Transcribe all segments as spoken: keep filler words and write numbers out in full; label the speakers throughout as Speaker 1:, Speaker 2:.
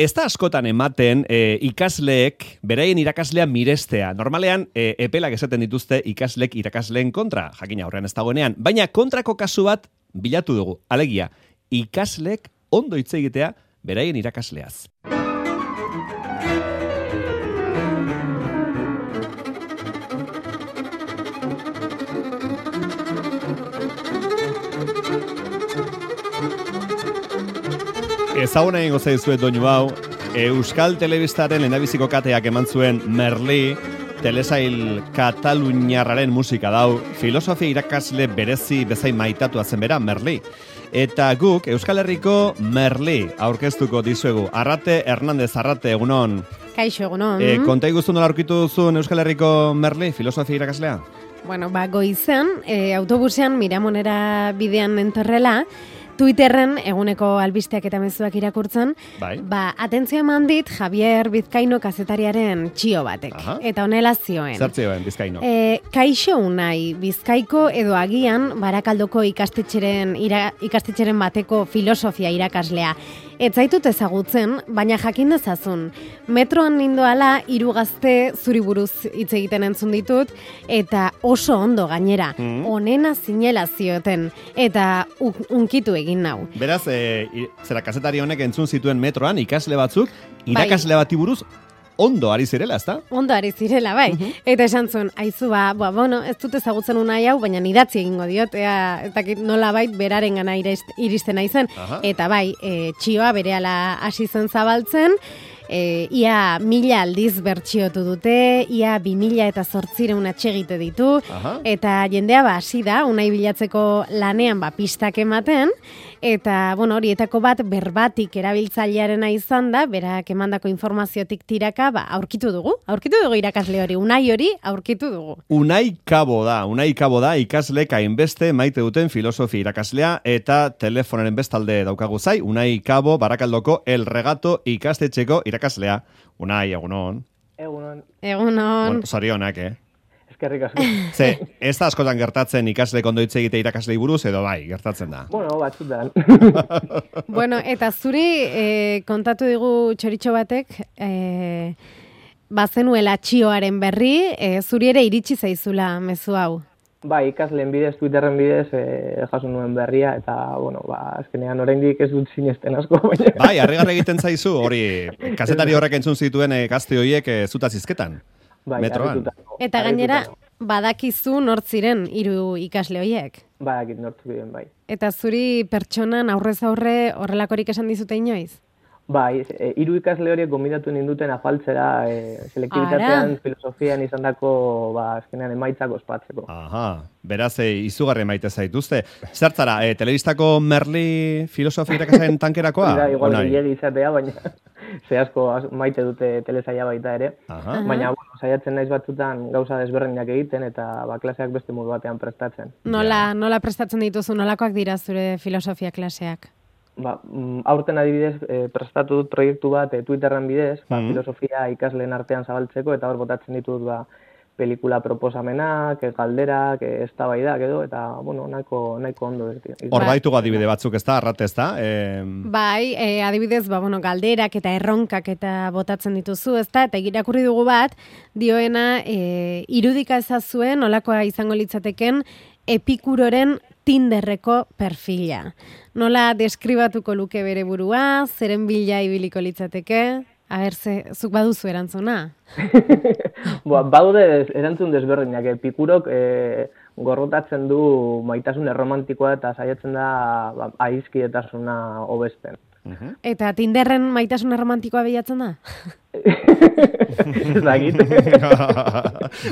Speaker 1: Ez da askotan ematen e, ikasleek beraien irakaslea mirestea. Normalean, e, epelak esaten dituzte ikaslek irakasleen kontra, jakina horrean ez dagoenean. Baina kontrako kasu bat bilatu dugu. Alegia, ikaslek ondo hitz egitea beraien irakasleaz. Ezaguna egingo zaizuet doinu hau, Euskal Telebistaren lehendabiziko kateak eman zuen Merli, telesail kataluniarraren musika dau, filosofia irakasle berezi bezain maitatua zen bera, Merli. Eta guk Euskal Herriko Merli aurkeztuko dizuegu. Arrate Hernandez, Arrate, egunon.
Speaker 2: Kaixo, egunon.
Speaker 1: E, konta iguztu nola aurkitu duzun Euskal Herriko Merli, filosofia irakaslea?
Speaker 2: Bueno, ba, goizen, e, autobusean Miramonera bidean entorrela, Twitterren eguneko albisteak eta mezuak irakurtzen,
Speaker 1: bai.
Speaker 2: Ba, atentzio eman dit Javier Bizkaino kazetariaren txio batek.
Speaker 1: Aha.
Speaker 2: Eta honela zioen.
Speaker 1: Zer zioen, Bizkaino?
Speaker 2: E, kaixo unai, Bizkaiko edo agian Barakaldoko ikastetxeren, ira, ikastetxeren bateko filosofia irakaslea. Ez zaitut ezagutzen, baina jakin dezazun. Metroan nindoala hiru gazte zuri buruz hitz egiten entzun ditut, eta oso ondo gainera. Mm. Onena zinela zioten, eta unkitu egin nau.
Speaker 1: Beraz, e, zera kazetari honek entzun zituen metroan ikasle batzuk, irakasle bati buruz ondo ari zirela, ezta?
Speaker 2: Ondo ari zirela, bai. Uh-huh. Eta esan zuen, aizu ba, ba, bueno, ez dut ezagutzen unai hau, baina idatzi egingo diot, ea, eta nola bait beraren gana iristen naizen.
Speaker 1: Aha.
Speaker 2: Eta bai, e, txioa berehala hasi zen zabaltzen, e, ia mila aldiz bertxiotu dute, ia bi mila eta zortzireun atsegite ditu, aha, eta jendea ba hasi da, unai bilatzeko lanean ba pistak ematen, eta, bueno, horietako bat berbatik erabiltzailearena izan da, berak emandako informaziotik tiraka, ba, aurkitu dugu, aurkitu dugu irakasle hori, unai hori aurkitu dugu.
Speaker 1: Unai Kabo da, unai Kabo da, ikaslek hainbeste maite duten filosofia irakaslea, eta telefonaren bestalde daukagu zai, Unai Kabo, Barakaldoko El Regato ikastetxeko irakaslea. Unai, egunon.
Speaker 3: Egunon.
Speaker 2: Egunon.
Speaker 1: Bueno, zorionak, eh?
Speaker 3: Eskerrik asko.
Speaker 1: Ze, ez da askotan gertatzen ikaslek ondo hitz egite irakaslei buruz, edo bai, gertatzen da.
Speaker 3: Bueno, batzutan.
Speaker 2: Bueno, eta zuri eh, kontatu digu txoritxo batek, eh, bazenuela txioaren berri, eh, zuri ere iritsi zaizula mezu hau.
Speaker 3: Bai, ikasleen bidez, Twitterren bidez, eh, jaso nuen berria, eta, bueno, ba, azkenean oraindik ez dut sinesten asko, baina.
Speaker 1: Bai, harrigarri egiten zaizu, hori, kazetari horrek entzun zituen eh, gazte horiek eh, zutaz izketan.
Speaker 3: Bai,
Speaker 1: metroan.
Speaker 2: Eta gainera, badakizu nortziren hiru ikasle horiek.
Speaker 3: Badakit nortzu diren, bai.
Speaker 2: Eta zuri pertsonan aurrez aurre horrelakorik esan dizute inoiz?
Speaker 3: Bai, e, hiru ikasle horiek gonbidatu ninduten afaltzera e, selektibitatean, filosofian izandako, ba, azkenean emaitzak ospatzeko.
Speaker 1: Aha, beraz, e, izugarri maite zaituzte. Zertzara, e, telebistako Merli filosofia irakasleen tankerakoa?
Speaker 3: Da, igual gilegi izatea, baina ze asko maite dute telesaia baita ere.
Speaker 1: Aha.
Speaker 3: Baina, bueno, saiatzen naiz batzutan gauza desberdinak egiten eta ba, klaseak beste modu batean prestatzen.
Speaker 2: Nola, nola prestatzen dituzu, nolakoak dira zure filosofia klaseak?
Speaker 3: Ba, aurten adibidez, e, prestatu dut proiektu bat e, Twitterren bidez, ba,
Speaker 1: Mm.
Speaker 3: filosofia ikasleen artean zabaltzeko, eta hor botatzen ditut ba, pelikula proposamenak, e, galderak, e, eztabaidak edo, eta, bueno, nahiko, nahiko ondo.
Speaker 1: Hor baitu adibide batzuk, ez da, arrate, ez da? E...
Speaker 2: Bai, e, adibidez, ba, bueno, galderak eta erronkak eta botatzen dituzu, ez da? Eta irakurri dugu bat, dioena, e, irudika ezazuen, nolakoa izango litzateken, Epikuroren Tinderreko perfila. Nola deskribatuko luke bere burua, zeren bila ibiliko litzateke? A ber, ze, zuk baduzu erantzuna?
Speaker 3: Ba, badude erantzun desberdinak. Epikurok e, gorrotatzen du maitasun erromantikoa eta saiatzen da ba, aizkidetasuna hobesten.
Speaker 1: Uh-huh.
Speaker 2: Eta Tinderren maitasun erromantikoa bilatzen da?
Speaker 3: Ez dakit.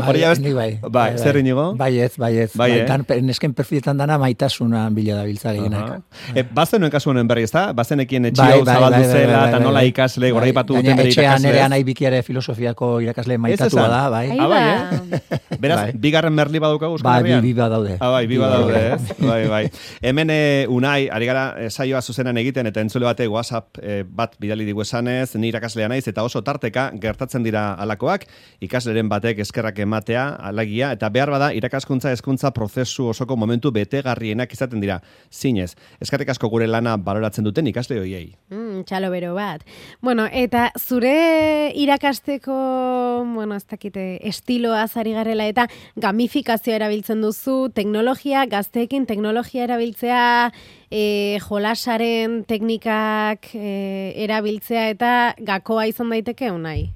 Speaker 1: Hori abest...
Speaker 4: bai,
Speaker 1: bai,
Speaker 4: bai,
Speaker 1: zer inigo?
Speaker 4: Bai ez, bai ez.
Speaker 1: Bai,
Speaker 4: Bai,
Speaker 1: eh?
Speaker 4: dan, nesken perfiletan dana maitasuna bila da biltza gehienak.
Speaker 1: Uh-huh. E, bazenuen kasu honen berri, ez da? Bazenekien etxi
Speaker 4: Bai,
Speaker 1: hau
Speaker 4: bai,
Speaker 1: zabaldu
Speaker 4: bai, bai,
Speaker 1: zela,
Speaker 4: bai,
Speaker 1: eta
Speaker 4: bai,
Speaker 1: nola
Speaker 4: bai.
Speaker 1: ikasle, goraipatu
Speaker 4: Bai,
Speaker 1: duten bere
Speaker 4: etxean
Speaker 1: irakasle.
Speaker 4: ere anai bikiare filosofiako irakasle maitatua
Speaker 1: esan?
Speaker 4: da, bai.
Speaker 2: Ai,
Speaker 1: Ah, bai,
Speaker 2: ba.
Speaker 1: eh? Beraz,
Speaker 4: Bai.
Speaker 1: bigarren Merli badaukagu Euskal
Speaker 4: Bai,
Speaker 1: Herrian?
Speaker 4: bi, bi badaude.
Speaker 1: Ah, bai, bi
Speaker 4: Bi
Speaker 1: badaude,
Speaker 4: badaude.
Speaker 1: ez? Bai, bai. Hemen eh, Unai, ari gara eh, saioa zuzenan egiten, eta entzule bate WhatsApp eh, bat bidali digu esanez, ni irakaslea naiz, eta oso tarteka gertatzen dira alakoak, ikasleren batek eskerrak ematea, alagia, eta behar bada irakaskuntza hezkuntza prozesu osoko momentu betegarrienak izaten dira. Zinez, eskerrik asko gure lana baloratzen duten ikasle hoiei.
Speaker 2: Mm, txalo bero bat. Bueno, eta zure irakasteko, bueno, ez dakite, estiloa zari garela eta gamifikazioa erabiltzen duzu, teknologia, gazteekin teknologia erabiltzea, e, jolasaren teknikak e, erabiltzea eta gakoa izan daiteke unai?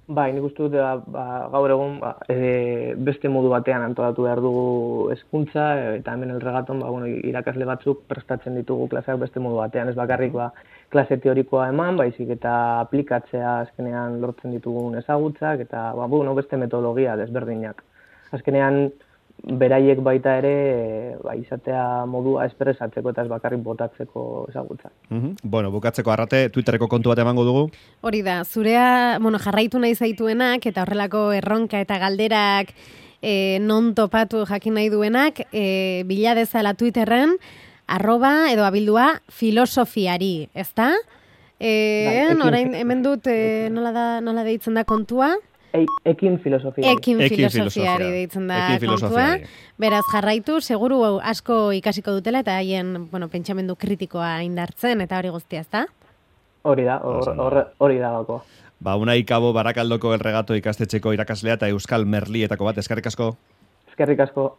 Speaker 3: Bai, nik uste dut ba, gaur egun ba, e, beste modu batean antolatu behar dugu hezkuntza eta hemen el regaton ba, bueno, irakasle batzuk prestatzen ditugu klaseak beste modu batean, ez bakarrik ba, klase teorikoa eman, baizik eta aplikatzea azkenean lortzen ditugun ezagutzak eta ba, bueno, beste metodologia desberdinak. Azkenean beraiek baita ere ba, izatea modua espresatzeko eta ez bakarrik botatzeko ezagutzak.
Speaker 1: Mm-hmm. Bueno, bukatzeko Arrate, Twitterreko kontu bat emango dugu?
Speaker 2: Hori da, zurea, bueno, jarraitu nahi zaituenak eta horrelako erronka eta galderak e, non topatu jakin nahi duenak, e, bila dezala Twitterren, arroba edo abildua filosofiari, ezta? E, bai, orain hemen dut e, nola da, nola deitzen da kontua?
Speaker 3: Ekin filosofiari.
Speaker 2: Ekin filosofiari deitzen da kontua. Beraz, jarraitu, seguru asko ikasiko dutela eta haien, bueno, pentsamendu kritikoa indartzen eta hori guztia, ezta?
Speaker 3: Hori da, hori da gakoa.
Speaker 1: Ba, Unai Kabo Barakaldoko El Regato ikastetxeko irakaslea eta Euskal Merlietako bat, eskerrik asko.
Speaker 3: Eskerrik asko.